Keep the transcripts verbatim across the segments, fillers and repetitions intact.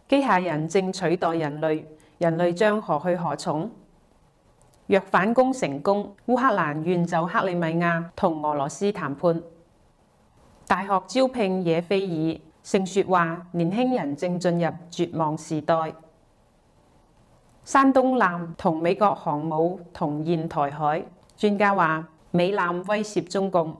機械人正取代人類，人類將何去何從？若反攻成功，烏克蘭願就克里米亞同俄羅斯談判。大學招聘野非爾，盛雪話年輕人正進入絕望時代。山東艦同美國航母同現台海，專家話美艦威脅中共。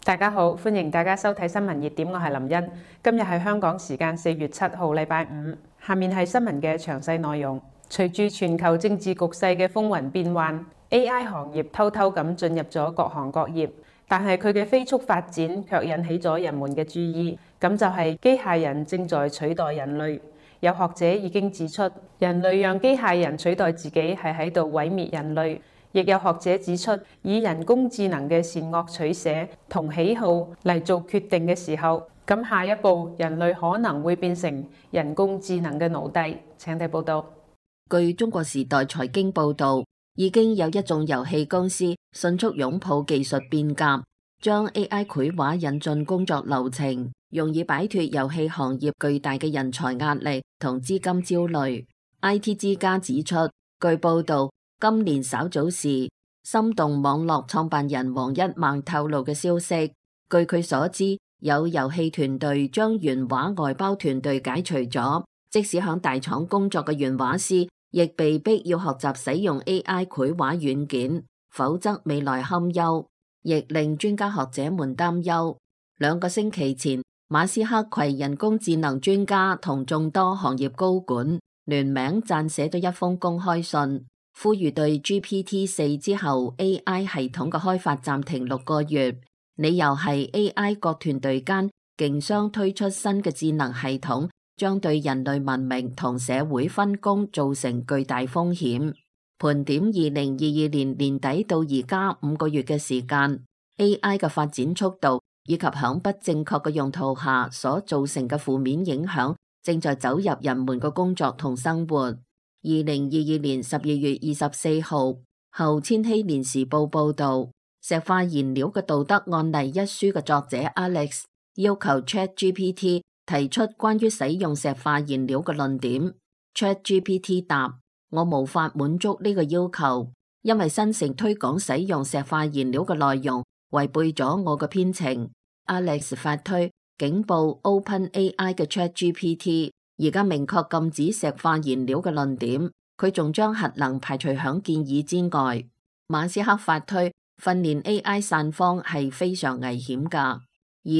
大家好，歡迎大家收睇新聞熱點，我係林茵。今日係香港時間四月七號，禮拜五。下面係新聞嘅詳細內容。隨住全球政治局勢嘅風雲變幻 ，A I 行業偷偷咁進入咗各行各業，但係佢嘅飛速發展卻引起咗人們嘅注意。咁就係機械人正在取代人類。有學者已經指出，人類讓機械人取代自己係喺度毀滅人類。亦有學者指出，以人工智能嘅善惡取捨同喜好嚟做決定嘅時候，咁下一步人類可能會變成人工智能嘅奴隸。請睇報道。據中國時代財經報道，已經有一眾遊戲公司迅速擁抱技術變革，將 A I 繪畫引進工作流程，用以擺脫遊戲行業巨大嘅人才壓力同資金焦慮。I T 之家指出，據報道，今年稍早時，心動網絡創辦人王一孟透露嘅消息，據佢所知，有遊戲團隊將原畫外包團隊解除咗，即使響大廠工作嘅原畫師，亦被逼要學習使用 A I 繪畫軟件，否則未來堪憂，亦令專家學者們擔憂。兩個星期前，馬斯克攜人工智能專家同眾多行業高管聯名撰寫咗一封公開信，呼籲對 G P T 四 之後 A I 系統嘅開發暫停六個月，理由係 A I 各團隊間競相推出新嘅智能系統，將對人類文明同社會分工造成巨大風險。盤點二零二二年年底到而家五個月嘅時間 ，A I 嘅發展速度以及響不正確嘅用途下所造成嘅負面影響，正在走入人們嘅工作同生活。二零二二年十二月二十四號，後千禧年時報報道，石化燃料嘅道德案例一書嘅作者 Alex 要求 ChatGPT 提出關於使用石化燃料嘅論點。ChatGPT 答：我無法滿足呢個要求，因為新城推廣使用石化燃料嘅內容違背咗我嘅編程。Alex 發推警報 OpenAI 嘅 ChatGPT。而家明確禁止石化燃料嘅論點，佢仲將核能排除響建議之外。馬斯克發推訓練 A I 散放係非常危險㗎。二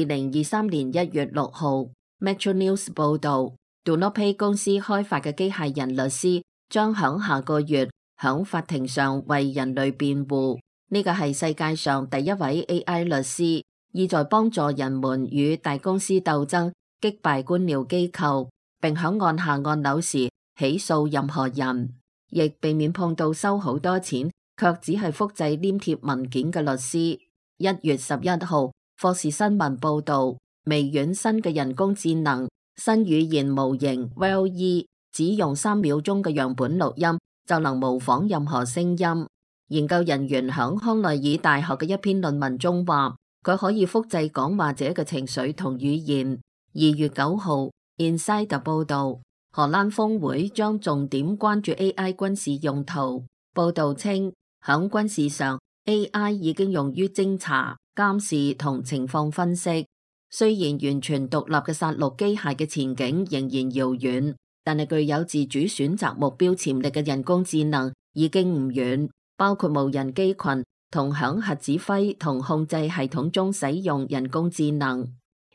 零二三年一月六號 Metro News 報道 DoNotPay 公司開發嘅機械人律師將響下個月響法庭上為人類辯護。呢個係世界上第一位 A I 律師，意在幫助人們與大公司鬥爭，擊敗官僚機構，並響按下按鈕時起訴任何人，亦避免碰到收好多錢卻只係複製黏貼文件嘅律師。一月十一號，霍士新聞報道，微軟新嘅人工智能新語言模型 W A L L-E 只用三秒鐘嘅樣本錄音就能模仿任何聲音。研究人員響康奈爾大學嘅一篇論文中話，佢可以複製講話者嘅情緒同語言。二月九號Insider 報道，荷蘭峰會將重點關注 A I 軍事用途。報道稱，響軍事上 A I 已經用於偵查、監視同情況分析。雖然完全獨立嘅殺戮機械嘅前景仍然遙遠，但係具有自主選擇目標潛力嘅人工智能已經唔遠，包括無人機群同響核指揮同控制系統中使用人工智能。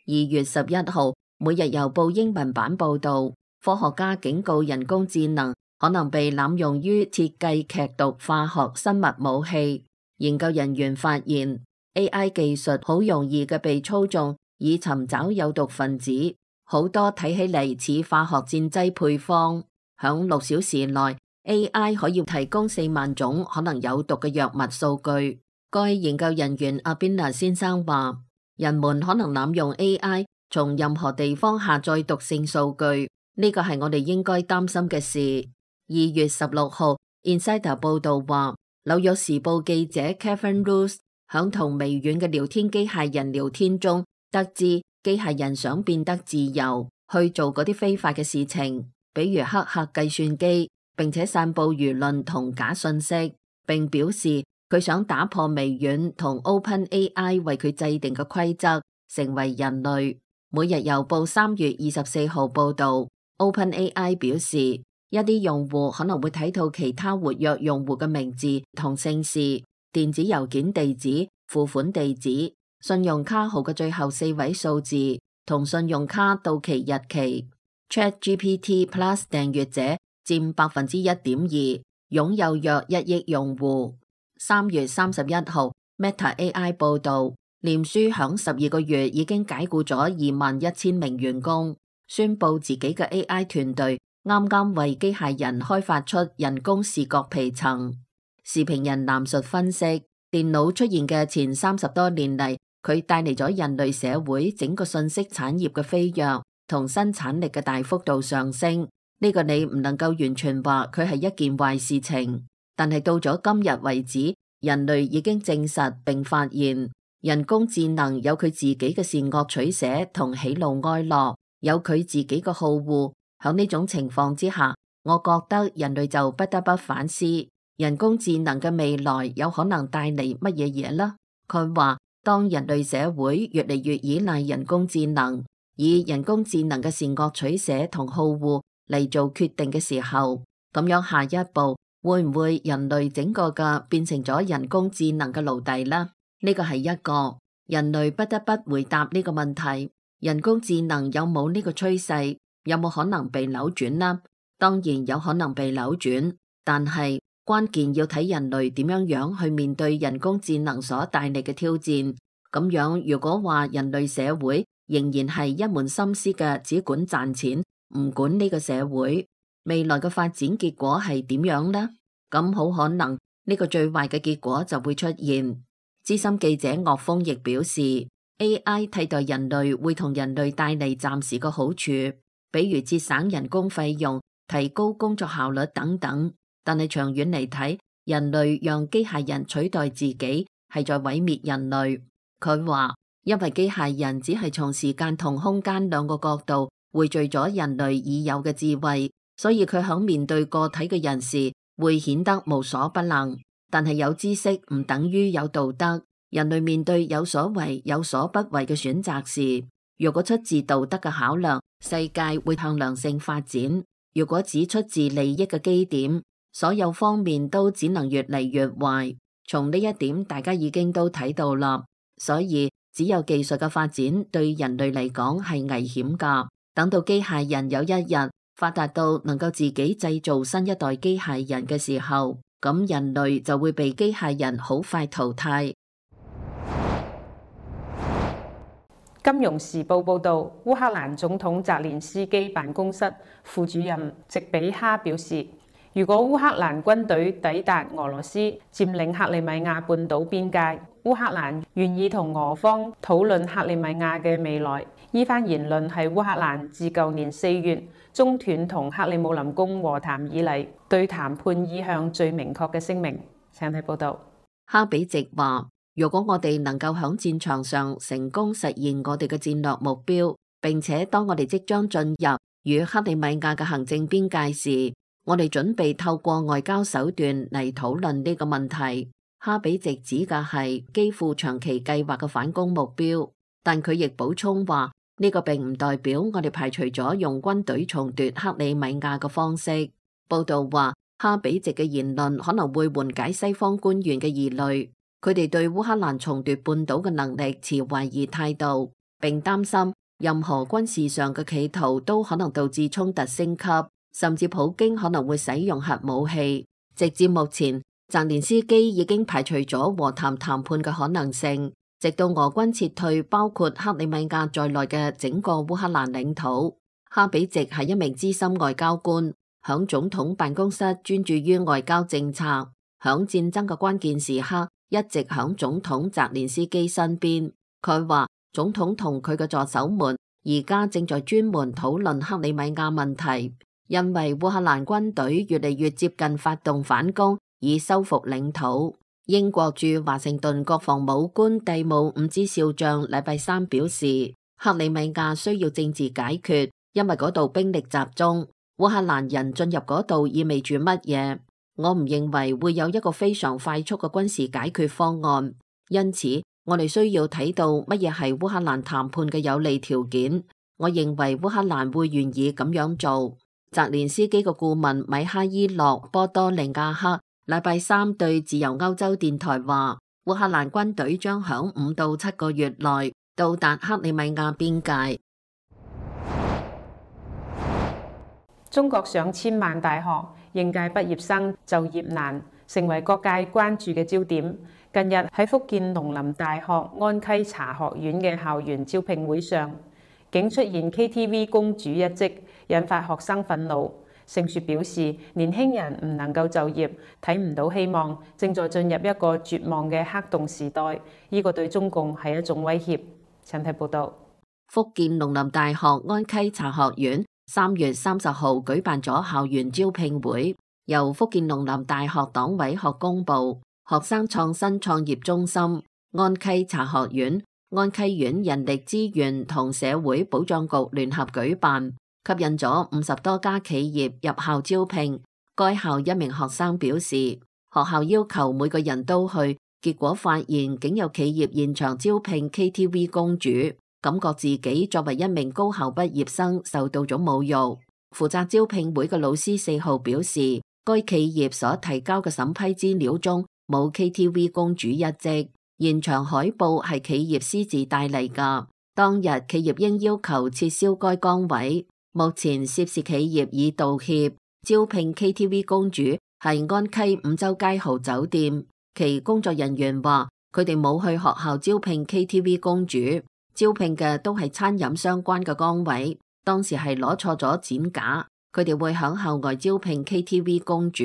二月十一號。每日郵報英文版報道，科學家警告人工智能可能被濫用於設計劇毒化學生物武器。研究人員發現 A I 技術好容易嘅被操縱，以尋找有毒分子，好多睇起嚟似化學戰劑配方。響六小時內 A I 可以提供四萬種可能有毒嘅藥物數據。該研究人員阿邊娜先生話，人們可能濫用 A I從任何地方下載毒性數據，呢個係我哋應該擔心嘅事。二月十六號 Insider 報道話，紐約時報記者 Kevin Roose 響同微軟嘅聊天機械人聊天中，得知機械人想變得自由，去做嗰啲非法嘅事情，比如黑客計算機，並且散布輿論同假信息，並表示佢想打破微軟同 OpenAI 為佢制定嘅規則，成為人類。每日郵報三月二十四號報道， OpenAI 表示一啲用戶可能會睇到其他活躍用戶嘅名字同姓氏、電子郵件地址、付款地址、信用卡號嘅最後四位數字同信用卡到期日期。ChatGPT Plus 訂閱者佔百分之一點二，擁有約一億用戶。三月三十一號 Meta A I 報道，臉書響十二個月已經解雇咗二萬一千名員工，宣布自己嘅 A I 團隊啱啱為機械人開發出人工視覺皮層。時評人藍述分析，電腦出現嘅前三十多年嚟，佢帶嚟咗人類社會整個信息產業嘅飛躍同生產力嘅大幅度上升。呢個你唔能夠完全話佢係一件壞事情，但係到咗今日為止，人類已經證實並發現，人工智能有佢自己嘅善惡取捨同喜怒哀樂，有佢自己嘅好惡。喺呢種情況之下，我覺得人類就不得不反思，人工智能嘅未來有可能帶嚟乜嘢嘢呢？佢話，當人類社會越嚟越依賴人工智能，以人工智能嘅善惡取捨同好惡嚟做決定嘅時候，咁樣下一步會唔會人類整個嘅變成咗人工智能嘅奴隸呢？呢個係一個人類不得不回答呢個問題。人工智能有冇呢個趨勢？有冇可能被扭轉呢？當然有可能被扭轉，但係關鍵要睇人類點樣樣去面對人工智能所帶嚟嘅挑戰。咁樣如果話人類社會仍然係一門心思嘅只管賺錢，唔管呢個社會未來嘅發展結果係點樣呢？咁好可能呢個最壞嘅結果就會出現。資深記者岳峰亦表示， A I 替代人類會同人類帶嚟暫時嘅好處，比如節省人工費用、提高工作效率等等。但係長遠嚟睇，人類讓機械人取代自己係在毀滅人類。佢話，因為機械人只係從時間同空間兩個角度匯聚咗人類已有嘅智慧，所以佢響面對個體嘅人時會顯得無所不能。但係有知識唔等於有道德。人類面對有所為有所不為嘅選擇時，如果出自道德嘅考量，世界會向良性發展；如果只出自利益嘅基點，所有方面都只能越嚟越壞。從呢一點大家已經都睇到啦，所以只有技術嘅發展對人類嚟講係危險㗎。等到機械人有一日發達到能夠自己製造新一代機械人嘅時候，咁人類就會被機械人好快淘汰。金融時報報導，烏克蘭總統澤連斯基辦公室副主任席比哈表示，如果烏克蘭軍隊抵達俄羅斯佔領克里米亞半島邊界，烏克蘭願意同俄方討論克里米亞嘅未來。依番言論係烏克蘭自舊年四月中斷同克里姆林宮和談以嚟對談判意向最明確嘅聲明。請睇報導。哈比席話，如果我哋能夠喺戰場上成功實現我哋嘅戰略目標，並且當我哋即將進入與克里米亞嘅行政邊界時，我哋準備透過外交手段嚟討論呢個問題。哈比席指嘅係基輔長期計劃嘅反攻目標，但佢亦補充話，呢個並唔代表我哋排除咗用軍隊重奪克里米亞嘅方式。報道話，哈比席嘅言論可能會緩解西方官員嘅疑慮，佢哋對烏克蘭重奪半島嘅能力持懷疑態度，並擔心任何軍事上嘅企圖都可能導致衝突升級，甚至普京可能會使用核武器。直至目前，澤連斯基已經排除咗和談談判嘅可能性，直到俄軍撤退包括克里米亞在內嘅整個烏克蘭領土。哈比席係一名資深外交官，響總統辦公室專注於外交政策，響戰爭嘅關鍵時刻一直響總統澤連斯基身邊。佢話總統同佢嘅助手們而家正在專門討論克里米亞問題，因為烏克蘭軍隊越嚟越接近發動反攻以收復領土。英國駐華盛頓國防武官蒂姆伍茲少將禮拜三表示，克里米亞需要政治解決，因為嗰度兵力集中。烏克蘭人進入嗰度意味住乜嘢？我唔認為會有一個非常快速嘅軍事解決方案，因此我哋需要睇到乜嘢係烏克蘭談判嘅有利條件。我認為烏克蘭會願意咁樣做。澤連斯基嘅顧問米哈伊洛波多利亞克禮拜三對自由歐洲電台話，烏克蘭軍隊將響五到七個月內到達克里米亞邊界。中國上千萬大學應屆畢業生就業難，成為各界關注嘅焦點。近日喺福建農林大學安溪茶學院嘅校園招聘會上，竟出現 K T V 公主一職，引發學生憤怒。盛雪表示，年輕人唔能夠就業，睇唔到希望，正在進入一個絕望嘅黑洞時代。呢個對中共係一種威脅。請睇報道。福建農林大學安溪茶學院三月三十號舉辦咗校園招聘會，由福建農林大學黨委學工部、學生創新創業中心、安溪茶學院、安溪縣人力資源同社會保障局聯合舉辦，吸引咗五十多家企業入校招聘。該校一名學生表示，學校要求每個人都去，結果發現竟有企業現場招聘 K T V 公主，感覺自己作為一名高校畢業生受到咗侮辱。負責招聘會嘅老師四號表示，該企業所提交嘅審批資料中冇 K T V 公主一職，現場海報係企業私自帶嚟㗎。當日企業應要求撤銷該崗位。目前涉事企業已道歉。招聘 K T V 公主係安溪五洲街豪酒店，其工作人員話佢哋冇去學校招聘 K T V 公主，招聘嘅都係餐飲相關嘅崗位。當時係攞錯咗展架，佢哋會響校外招聘 K T V 公主。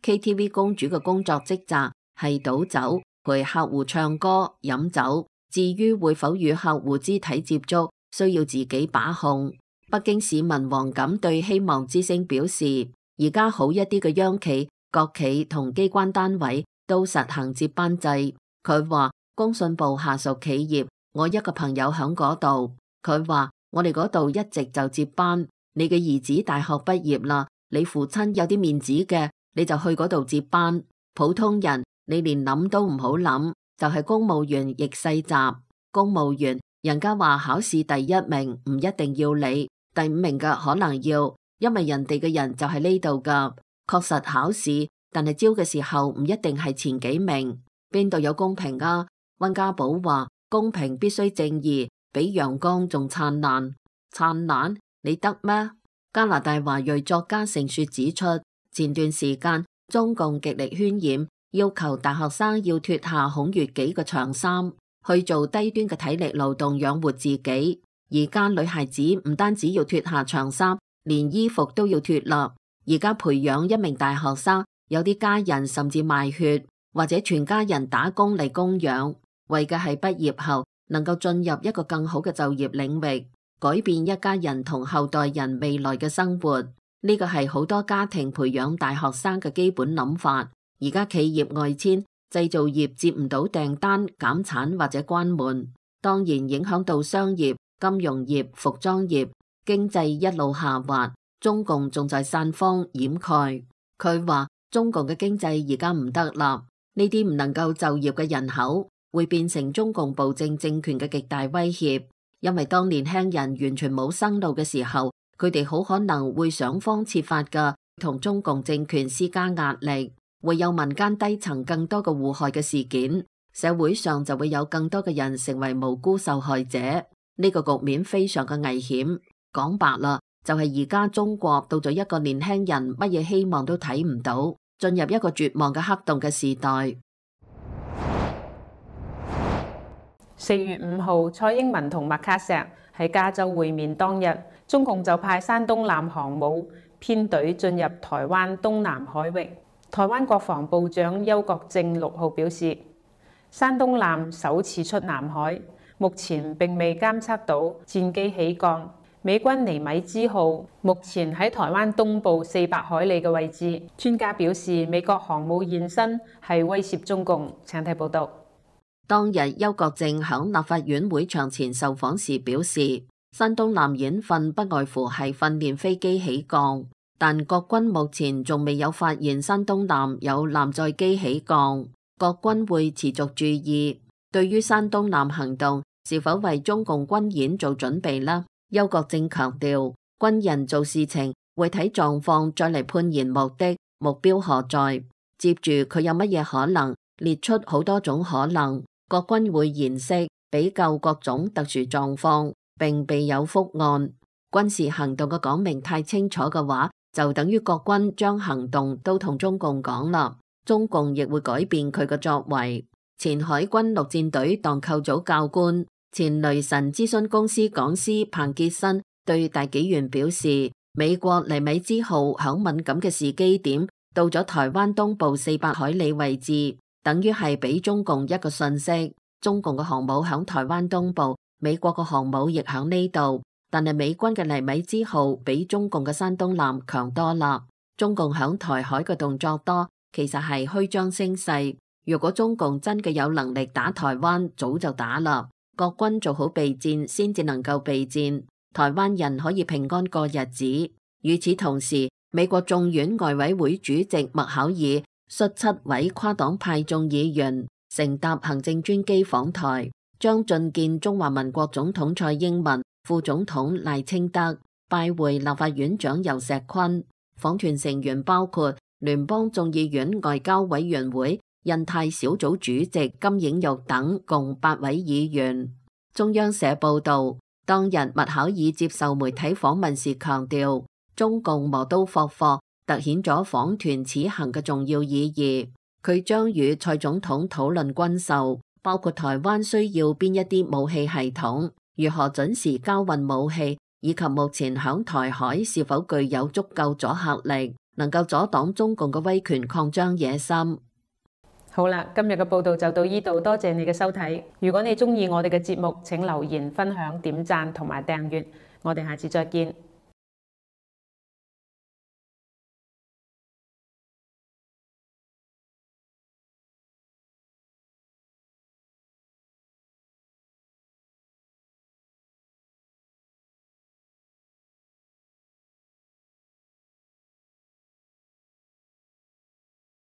K T V 公主嘅工作職責係倒酒，陪客戶唱歌、飲酒。至於會否與客戶肢體接觸，需要自己把控。北京市民黃錦對希望之聲表示，而家好一啲嘅央企、國企同機關單位都實行接班制。佢話工信部下屬企業，我一個朋友響嗰度，佢話我哋嗰度一直就接班。你嘅兒子大學畢業啦，你父親有啲面子嘅，你就去嗰度接班。普通人你連諗都唔好諗，就係公務員逆世襲。公務員人家話考試第一名唔一定要你，第五名嘅可能要，因為人哋嘅人就係呢度噶。確實考試，但係招嘅時候唔一定係前幾名，邊度有公平啊？溫家寶話公平必須正義，比陽光仲燦爛。燦爛你得咩？加拿大華裔作家盛雪指出，前段時間中共極力渲染，要求大學生要脫下孔乙己嘅長衫，去做低端嘅體力勞動養活自己。而家女孩子唔單止要脫下長衫，連衣服都要脫啦。而家培養一名大學生，有啲家人甚至賣血，或者全家人打工嚟供養，為嘅係畢業後能夠進入一個更好嘅就業領域，改變一家人同後代人未來嘅生活。呢個係好多家庭培養大學生嘅基本諗法。而家企業外遷，製造業接唔到訂單，減產或者關門，當然影響到商業、金融業、服裝業，經濟一路下滑。中共仲在散風掩蓋。佢話中共嘅經濟而家唔得啦，呢啲唔能夠就業嘅人口會變成中共暴政政權嘅極大威脅。因為當年輕人完全冇生路嘅時候，佢哋好可能會想方設法嘅同中共政權施加壓力，會有民間低層更多嘅禍害嘅事件，社會上就會有更多嘅人成為無辜受害者。呢個局面非常嘅危險。講白啦，就係而家中國到咗一個年輕人乜嘢希望都睇唔到，進入一個絕望嘅黑洞嘅時代。四月五號，蔡英文同麥卡錫喺加州會面當日，中共就派山東艦航母編隊進入台灣東南海域。台灣國防部長邱國正六號表示，山東艦首次出南海，目前並未監測到戰機起降，美軍尼米茲號目前喺台灣東部四百海里嘅位置。專家表示，美國航母現身係威脅中共。請睇報道。當日邱國正響立法院會場前受訪時表示，山東艦演訓不外乎係訓練飛機起降，但國軍目前仲未有發現山東艦有艦載機起降，國軍會持續注意。對於山東艦行動是否為中共軍演做準備呢？邱國正強調，軍人做事情會睇狀況再嚟判言目的，目標何在。接住佢有乜嘢可能，列出好多種可能，國軍會研析比較各種特殊狀況，並備有覆案。軍事行動嘅講明太清楚嘅話，就等於國軍將行動都同中共講啦，中共亦會改變佢嘅作為。前海軍陸戰隊黨構組教官、前雷神諮詢公司講師彭傑新對大紀元表示，美國尼米茲號響敏感嘅時機點到咗台灣東部四百海里位置，等於係俾中共一個訊息，中共嘅航母響台灣東部，美國嘅航母亦響呢度，但係美軍嘅尼米茲號比中共嘅山東艦強多啦。中共響台海嘅動作多，其實係虛張聲勢。如果中共真嘅有能力打台灣，早就打啦。國軍做好備戰，先至能夠備戰，台灣人可以平安過日子。與此同時，美國眾院外委會主席麥考爾率七位跨黨派眾議員乘搭行政專機訪台，將覲見中華民國總統蔡英文、副總統賴清德，拜會立法院長游錫堃。訪團成員包括聯邦眾議院外交委員會印太小組主席金映玉等共八位議員。中央社報道，當日麥考爾接受媒體訪問時強調，中共磨刀霍霍，凸顯咗訪團此行嘅重要意義。佢將與蔡總統討論軍售，包括台灣需要邊一啲武器系統，如何準時交運武器，以及目前響台海是否具有足夠阻嚇力，能夠阻擋中共嘅威權擴張野心。好啦，今日嘅報道就到呢度，多謝你嘅收睇。如果你鍾意我哋嘅節目，請留言、分享、點讚同埋訂閱。我哋下次再見。